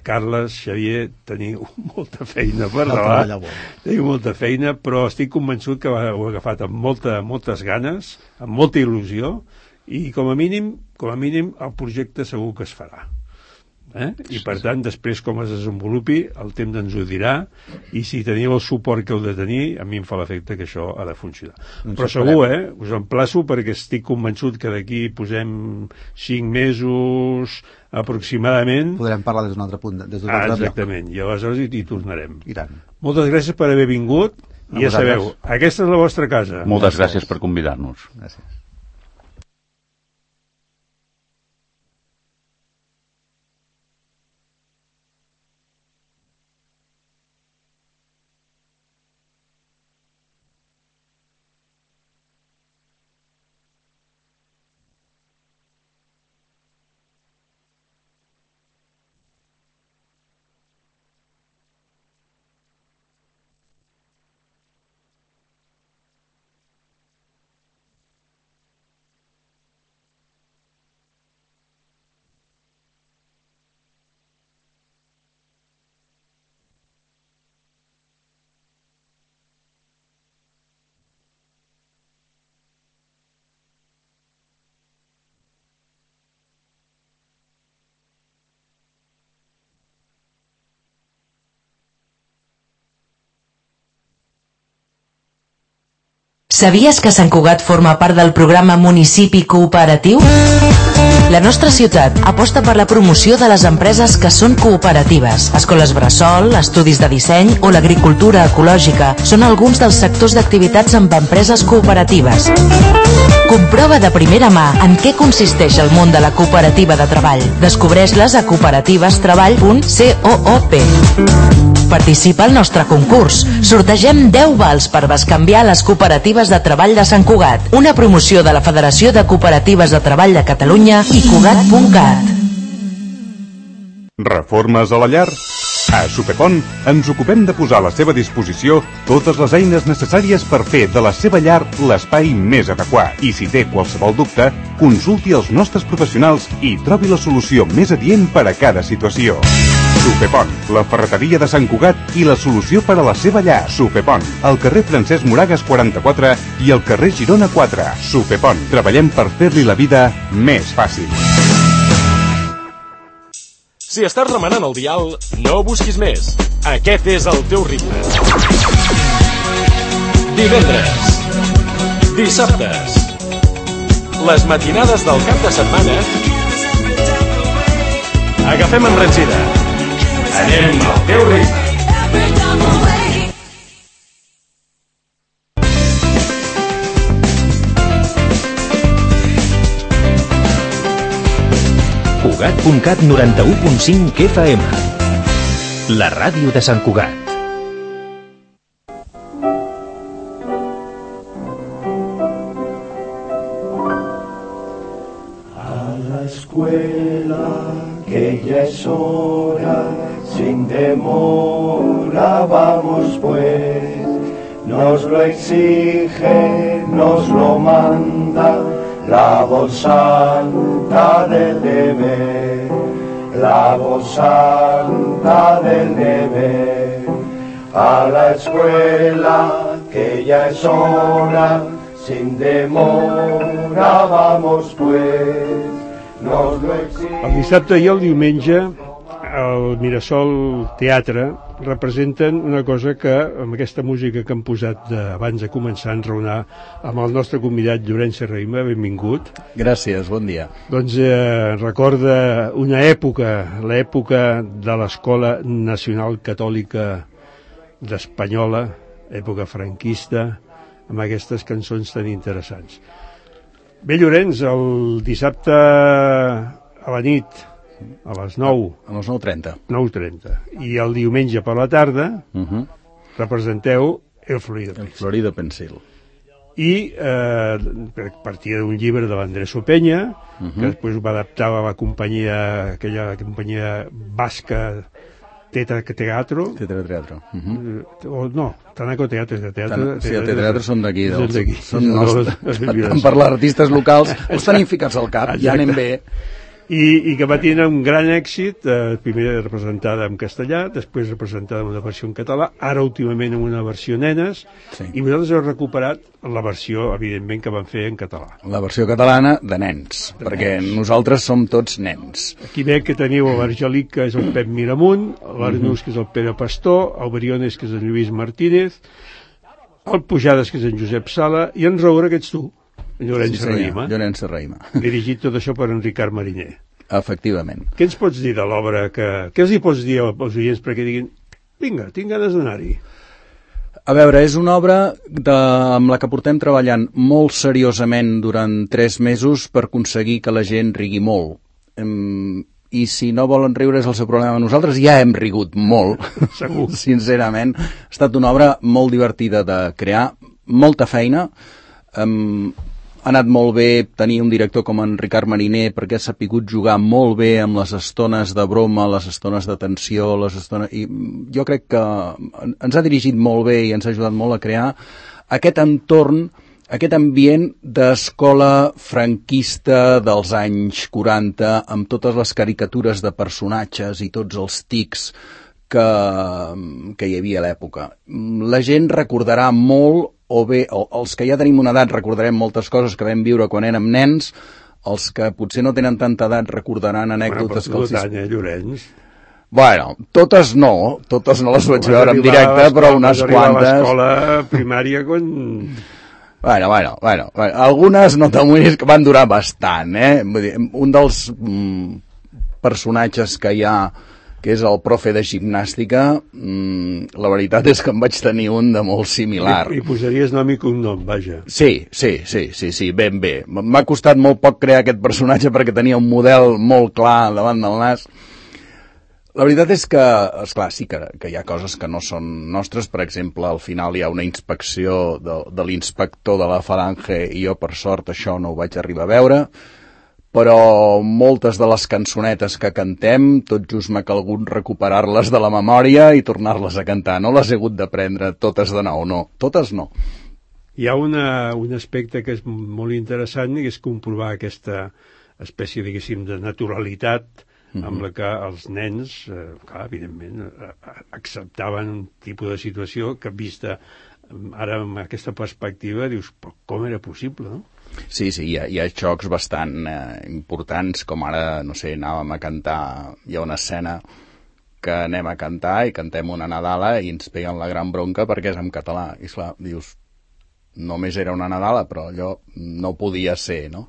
Carles, Xavier, teniu molta feina per davant, teniu molta feina, però estic convençut que ho heu agafat amb molta, moltes ganes, amb molta il·lusió, i com a mínim, com a mínim, el projecte segur que es farà. Eh? I per tant, després com es desenvolupi, el temps ens ho dirà, i si teniu el suport que heu de tenir, a mi em fa l'efecte que això ha de funcionar. Ens Però segur, eh? Us emplaço, perquè estic convençut que d'aquí posem cinc mesos aproximadament. Podrem parlar des d'un altre punt. Des d'un ah, altre exactament, lloc. I aleshores hi, hi tornarem. I tant. Moltes gràcies per haver vingut, i ja sabeu, aquesta és la vostra casa. Moltes gràcies per convidar-nos. Gràcies. Sabies que Sant Cugat forma part del programa Municipi Cooperatiu? La nostra ciutat aposta per la promoció de les empreses que són cooperatives. Escoles bressol, estudis de disseny o l'agricultura ecològica són alguns dels sectors d'activitats amb empreses cooperatives. Comprova de primera mà en què consisteix el món de la cooperativa de treball. Descobreix-les a cooperativestreball punt coop. Participa al nostre concurs. Sortegem deu vals per bescanviar les cooperatives de treball de Sant Cugat. Una promoció de la Federació de Cooperatives de Treball de Catalunya i Cugat punt cat. Reformes a la llar? A Supepont ens ocupem de posar a la seva disposició totes les eines necessàries per fer de la seva llar l'espai més adequat. I si té qualsevol dubte, consulti els nostres professionals i trobi la solució més adient per a cada situació. Supepont, la ferreteria de Sant Cugat i la solució per a la seva llar. Supepont, al carrer Francesc Moragas quaranta-quatre i al carrer Girona quatre. Supepont, treballem per fer-li la vida més fàcil. Si estàs remenant el dial, no busquis més. Aquest és el teu ritme. Divendres, dissabtes, les matinades del cap de setmana. Agafem embranzida. Anem al teu ritme. Cugat punt cat noranta-u punt cinc F M. La ràdio de Sant Cugat. A la escuela, que ya es hora, sin demora vamos pues. Nos lo exige, nos lo manda la voz santa del deber, la voz santa del deber. A la escuela, que ya es hora, sin demora vamos pues. Nos lo exige. El dissabte i el diumenge el Mirasol Teatre representen una cosa que, amb aquesta música que han posat de, abans de començar a enraonar amb el nostre convidat Llorenç Serrahima, benvingut. Gràcies, bon dia. Doncs eh, recorda una època, l'època de l'Escola Nacional Catòlica d'Espanyola, època franquista, amb aquestes cançons tan interessants. Bé, Llorenç, el dissabte a la nit, a les nou. A les nou trenta. nou trenta. I el diumenge per la tarda uh-huh. representeu El Florida Pencil. El Florida Pencil. I eh, partia d'un llibre de l'Andrés Openya, uh-huh. que després ho va adaptar a la companyia, aquella companyia basca Tetra Teatro. Tetra Teatro. Uh-huh. O no, Tanaco Teatro. Teatro sí, el Teatro són d'aquí. Són nostres. Per les artistes locals, els tenim ficats al cap, ja anem bé. I, i que va tenir un gran èxit, eh, primer representada en castellà, després representada en una versió en català, ara últimament en una versió nenes, sí. I vosaltres heu recuperat la versió, evidentment, que van fer en català. La versió catalana de nens, de perquè nens. Nosaltres som tots nens. Aquí veig que teniu l'Argelic, que és el Pep Miramunt, l'Arnús, que és el Pere Pastor, el Briones, que és el Lluís Martínez, el Pujades, que és en Josep Sala, i en Roura, que ets tu. Llorenç sí, Serrahima. Llorenç Serrahima. Dirigit tot això per en Ricard Mariner. Efectivament. Què ens pots dir de l'obra? Que... Què els hi pots dir als oients perquè diguin vinga, tinc ganes d'anar-hi? A veure, és una obra de... amb la que portem treballant molt seriosament durant tres mesos per aconseguir que la gent rigui molt. I si no volen riure és el seu problema. Nosaltres ja hem rigut molt, segur. Sincerament. Ha estat una obra molt divertida de crear, molta feina. Um, ha anat molt bé tenir un director com en Ricard Mariner perquè ha sapigut jugar molt bé amb les estones de broma, les estones de tensió, les estones... I jo crec que ens ha dirigit molt bé i ens ha ajudat molt a crear aquest entorn, aquest ambient d'escola franquista dels anys quaranta, amb totes les caricatures de personatges i tots els tics que, que hi havia a l'època. La gent recordarà molt, o bé, els que ja tenim una edat recordarem moltes coses que vam viure quan érem nens, els que potser no tenen tanta edat recordaran anècdotes... Bueno, però tu, Llorenç... Bueno, totes no, totes no les vaig veure en directe, però unes quantes... Vas arribar a l'escola primària quan... Bueno, bueno, bueno, bueno, algunes no t'amoïnis que van durar bastant, eh? Vull dir, un dels mm, personatges que hi ha, que és el profe de gimnàstica, mmm, la veritat és que en vaig tenir un de molt similar. I, i posaries nom i cognom, vaja. Sí, sí, sí, sí, sí, ben bé. M'ha costat molt poc crear aquest personatge perquè tenia un model molt clar davant del nas. La veritat és que, esclar, sí que, que hi ha coses que no són nostres. Per exemple, al final hi ha una inspecció de, de l'inspector de la Falange i jo, per sort, això no ho vaig arribar a veure. Però moltes de les cançonetes que cantem, tot just m'ha calgut recuperar-les de la memòria i tornar-les a cantar. No les he hagut d'aprendre totes de nou, no. Totes no. Hi ha una, un aspecte que és molt interessant i és comprovar aquesta espècie, diguéssim, de naturalitat mm-hmm. amb la que els nens, eh, clar, evidentment, acceptaven un tipus de situació que vista ara amb aquesta perspectiva dius, però com era possible, no? Sí, sí, hi ha, hi ha xocs bastant eh, importants, com ara, no sé, anàvem a cantar, hi ha una escena que anem a cantar i cantem una Nadala i ens peguen la gran bronca perquè és en català. I esclar, dius, només era una Nadala, però allò no podia ser, no?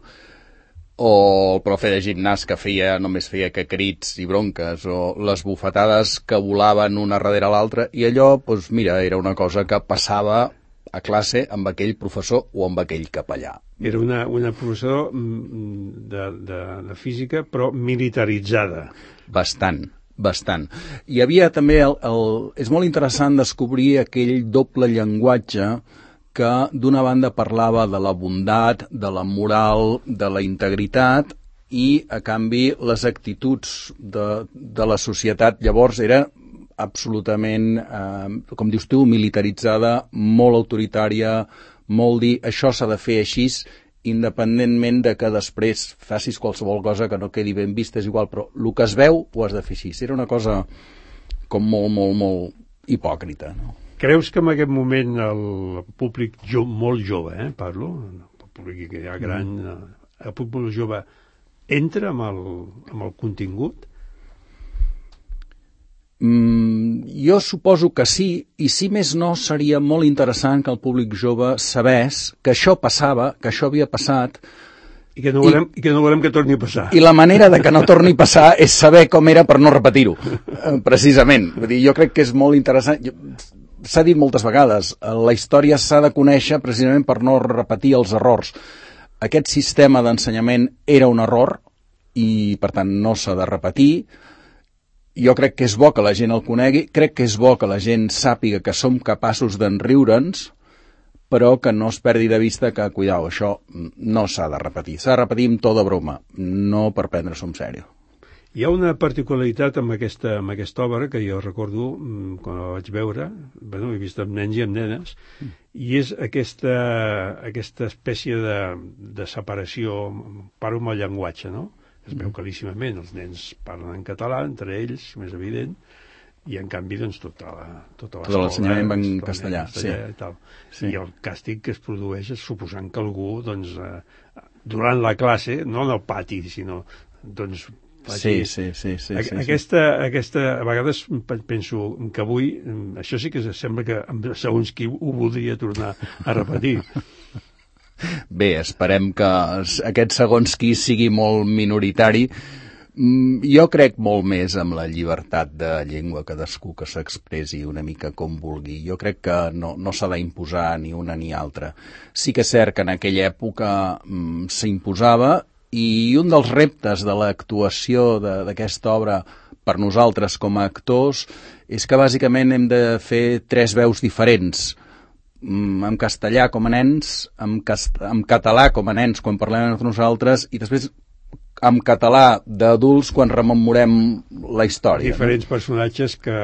O el profe de gimnàs que feia, només feia que crits i bronques, o les bufetades que volaven una darrere l'altra, i allò, doncs mira, era una cosa que passava a classe amb aquell professor o amb aquell capellà. Era una, una professor de, de, de física, però militaritzada. Bastant, bastant. Hi havia també, el, el, és molt interessant descobrir aquell doble llenguatge que d'una banda parlava de la bondat, de la moral, de la integritat, i a canvi les actituds de, de la societat llavors era absolutament, eh, com dius tu, militaritzada, molt autoritària, molt dir això s'ha de fer així, independentment de que després facis qualsevol cosa que no quedi ben vista, és igual, però el que es veu ho has de fer així. Era una cosa com molt, molt, molt hipòcrita, no? Creus que en aquest moment el públic jo, molt jove, eh, parlo, el públic que hi ha gran, el públic jove entra amb el, amb el contingut? Mm, jo suposo que sí, i si més no seria molt interessant que el públic jove sabés que això passava, que això havia passat, I que, no volem, i, i que no volem que torni a passar. I la manera de que no torni a passar és saber com era per no repetir-ho, precisament. Vull dir, jo crec que és molt interessant. S'ha dit moltes vegades, la història s'ha de conèixer precisament per no repetir els errors. Aquest sistema d'ensenyament era un error i, per tant, no s'ha de repetir. Jo crec que és bo que la gent el conegui, crec que és bo que la gent sàpiga que som capaços d'enriure'ns, però que no es perdi de vista que, cuidao, això no s'ha de repetir. S'ha de repetir amb tota broma, no per prendre-s'ho en sèrio. Hi ha una particularitat amb aquesta, amb aquesta obra que jo recordo quan la vaig veure, bueno, he vist amb nens i amb nenes, mm. i és aquesta, aquesta espècie de, de separació, parlo amb el llenguatge, no? Es veu claríssimament, els nens parlen en català, entre ells, més evident, i en canvi doncs tota la tota tot l'ensenyament va en castellà, sí. I, tal. Sí. I el càstig que es produeix és suposant que algú doncs, eh, durant la classe, no en el pati, sinó doncs sí, sí, sí, sí, sí, aquesta, aquesta, a vegades penso que avui això sí que sembla que segons qui ho voldria tornar a repetir. Bé, esperem que aquest segons qui sigui molt minoritari. Jo crec molt més amb la llibertat de llengua, cadascú que s'expressi una mica com vulgui. Jo crec que no, no s'ha d'imposar ni una ni altra. Sí que és cert que en aquella època mm, s'imposava, i un dels reptes de l'actuació d'aquesta obra per nosaltres com a actors és que bàsicament hem de fer tres veus diferents. En castellà com a nens, en, cast... en català com a nens quan parlem entre nosaltres, i després en català d'adults quan rememorem la història. Diferents no? personatges que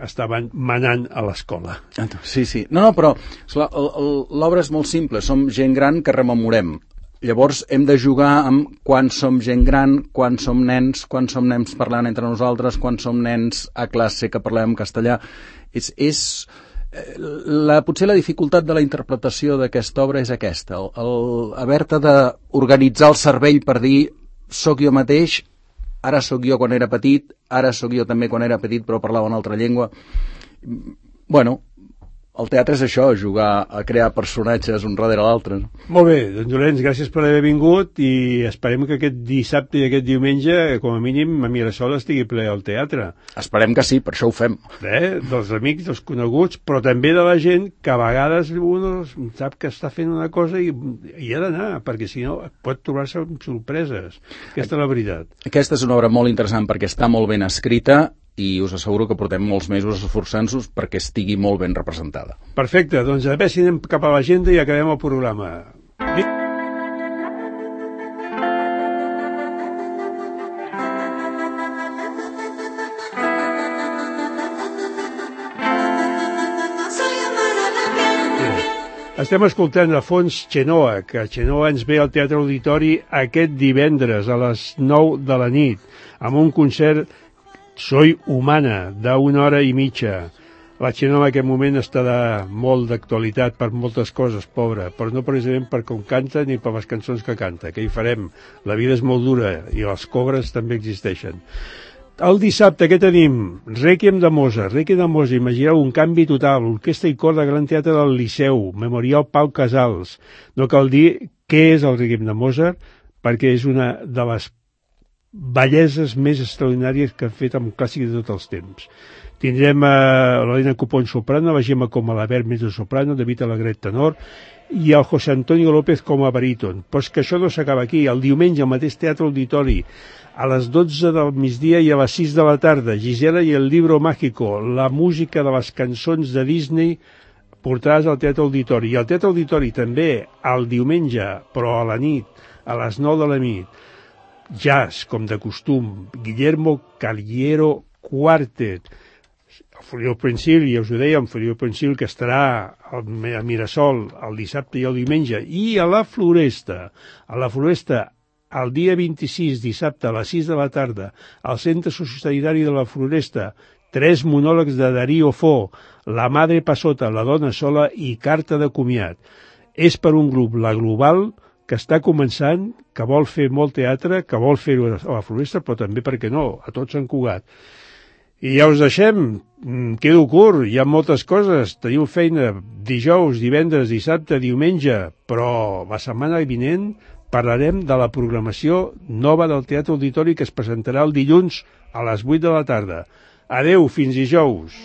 estaven manant a l'escola. Sí, sí. No, no, però l'obra és molt simple. Som gent gran que rememorem. Llavors hem de jugar amb quan som gent gran, quan som nens, quan som nens parlant entre nosaltres, quan som nens a classe que parlem en castellà. És... és la, potser la dificultat de la interpretació d'aquesta obra és aquesta. El, el haver-te d'organitzar el cervell per dir soc jo mateix, ara sóc jo quan era petit, ara sóc jo també quan era petit però parlava una altra llengua. Bueno, el teatre és això, jugar a crear personatges un darrere l'altre. Molt bé, doncs Llorenç, gràcies per haver vingut i esperem que aquest dissabte i aquest diumenge, com a mínim, a Mirasol estigui ple al teatre. Esperem que sí, per això ho fem. Bé, dels amics, dels coneguts, però també de la gent que a vegades un sap que està fent una cosa i hi ha d'anar, perquè si no pot trobar-se amb sorpreses. Aquesta és la veritat. Aquesta és una obra molt interessant perquè està molt ben escrita i us asseguro que portem molts mesos esforçant-nos perquè estigui molt ben representada. Perfecte, doncs a veure si anem cap a l'agenda i acabem el programa. Estem escoltant a fons Xenoa, que Xenoa ens ve al Teatre Auditori aquest divendres a les nou de la nit, amb un concert Soy humana, d'una hora i mitja. La Xenoa en aquest moment està de molt d'actualitat per moltes coses, pobra, però no precisament per com canta ni per les cançons que canta. Què hi farem? La vida és molt dura i les cobres també existeixen. El dissabte, què tenim? Rèquiem de Mozart. Rèquiem de Mozart, imagineu un canvi total. Orquestra i cor de Gran Teatre del Liceu. Memorial Pau Casals. No cal dir què és el Rèquiem de Mozart, perquè és una de les belleses més extraordinàries que ha fet un clàssic de tots els temps. Tindrem a l'Helena Copón soprano, la Gemma com a l'Albert mezzo-soprano, David Alegret tenor i el José Antonio López com a baríton. Però és que això no s'acaba aquí. El diumenge al mateix Teatre Auditori, a les dotze del migdia i a les sis de la tarda, Gisela i el Libro Mágico, la música de les cançons de Disney portades al Teatre Auditori. I al Teatre Auditori també el diumenge, però a la nit, a les nou de la nit, jazz, com de costum, Guillermo Caliero Quartet, el Feliu Pensil, ja us ho dèiem, Feliu Pensil, que estarà a Mirasol el dissabte i el diumenge, i a la Floresta, a la Floresta, el dia vint-i-sis, dissabte, a les sis de la tarda, al Centre Sociosanitari de la Floresta, tres monòlegs de Darío Fo, La Madre Passota, La Dona Sola i Carta de Comiat. És per un grup, La Global, que està començant, que vol fer molt teatre, que vol fer-ho a la Floresta, però també, per què no, a tot Sant Cugat. I ja us deixem, quedo curt, hi ha moltes coses, teniu feina dijous, divendres, dissabte, diumenge, però la setmana vinent parlarem de la programació nova del Teatre Auditori que es presentarà el dilluns a les vuit de la tarda. Adeu, fins dijous.